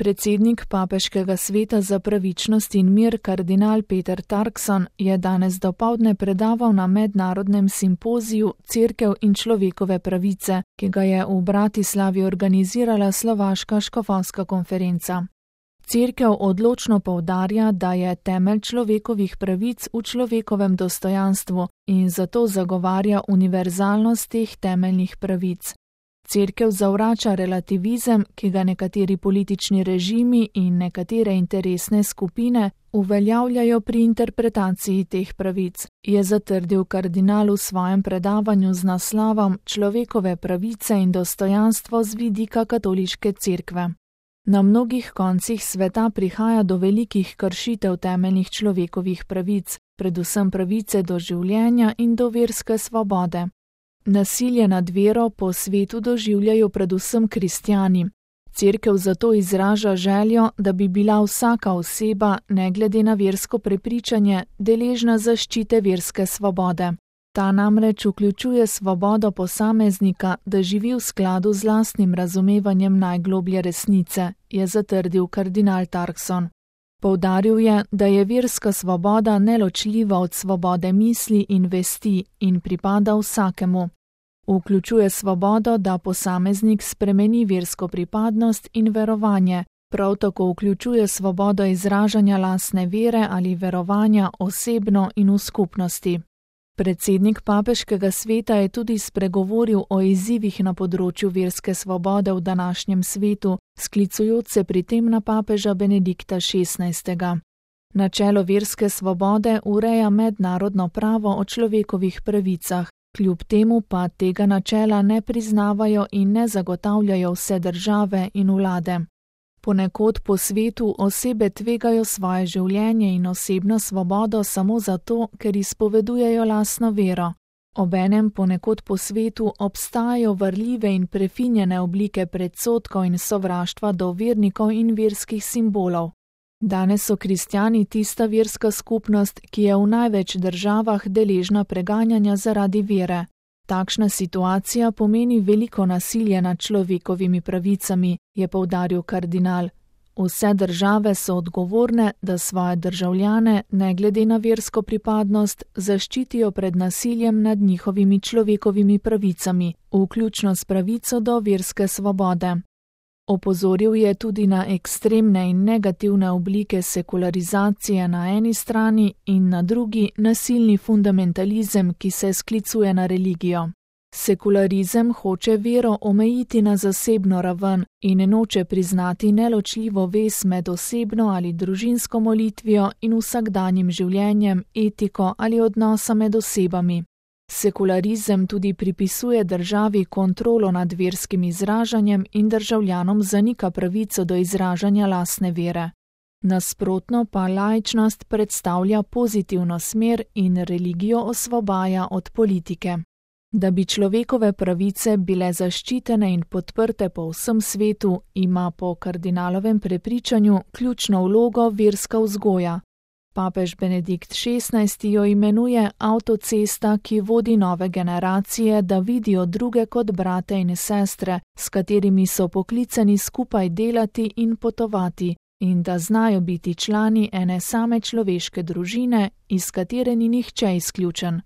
Predsednik Papeškega sveta za pravičnost in mir kardinal Peter Turkson je danes dopoldne predaval na mednarodnem simpoziju Cerkev in človekove pravice, ki ga je v Bratislavi organizirala Slovaška škofovska konferenca. Cerkev odločno poudarja, da je temelj človekovih pravic v človekovem dostojanstvu in zato zagovarja univerzalnost teh temeljnih pravic. Cerkev zavrača relativizem, ki ga nekateri politični režimi in nekatere interesne skupine uveljavljajo pri interpretaciji teh pravic, je zatrdil kardinal v svojem predavanju z naslovom Človekove pravice in dostojanstvo z vidika katoliške cerkve. Na mnogih koncih sveta prihaja do velikih kršitev temeljnih človekovih pravic, predvsem pravice do življenja in do verske svobode. Nasilje nad vero po svetu doživljajo predvsem kristjani. Cerkev zato izraža željo, da bi bila vsaka oseba, ne glede na versko prepričanje, deležna zaščite verske svobode. Ta namreč vključuje svobodo posameznika, da živi v skladu z lastnim razumevanjem najgloblje resnice, je zatrdil kardinal Turkson. Poudaril je, da je verska svoboda neločljiva od svobode misli in vesti in pripada vsakemu. Vključuje svobodo, da posameznik spremeni versko pripadnost in verovanje, prav tako vključuje svobodo izražanja lastne vere ali verovanja osebno in v skupnosti. Predsednik Papeškega sveta je tudi spregovoril o izzivih na področju verske svobode v današnjem svetu, sklicujoč se pri tem na papeža Benedikta XVI. Načelo verske svobode ureja mednarodno pravo o človekovih pravicah, kljub temu pa tega načela ne priznavajo in ne zagotavljajo vse države in vlade. Ponekod po svetu osebe tvegajo svoje življenje in osebno svobodo samo zato, ker izpovedujejo lastno vero. Obenem ponekod po svetu obstajajo varljive in prefinjene oblike predsodkov in sovraštva do vernikov in verskih simbolov. Danes so kristjani tista verska skupnost, ki je v največ državah deležna preganjanja zaradi vere. Takšna situacija pomeni veliko nasilje nad človekovimi pravicami, je poudaril kardinal. Vse države so odgovorne, da svoje državljane, ne glede na versko pripadnost, zaščitijo pred nasiljem nad njihovimi človekovimi pravicami, vključno s pravico do verske svobode. Opozoril je tudi na ekstremne in negativne oblike sekularizacije na eni strani in na drugi nasilni fundamentalizem, ki se sklicuje na religijo. Sekularizem hoče vero omejiti na zasebno raven in noče priznati neločljivo vez med osebno ali družinsko molitvijo in vsakdanjim življenjem, etiko ali odnosa med osebami. Sekularizem tudi pripisuje državi kontrolo nad verskim izražanjem in državljanom zanika pravico do izražanja lastne vere. Nasprotno pa laičnost predstavlja pozitivno smer in religijo osvobaja od politike. Da bi človekove pravice bile zaščitene in podprte po vsem svetu, ima po kardinalovem prepričanju ključno vlogo verska vzgoja. Papež Benedikt XVI jo imenuje avtocesta, ki vodi nove generacije, da vidijo druge kot brate in sestre, s katerimi so poklicani skupaj delati in potovati, in da znajo biti člani ene same človeške družine, iz katere ni nihče izključen.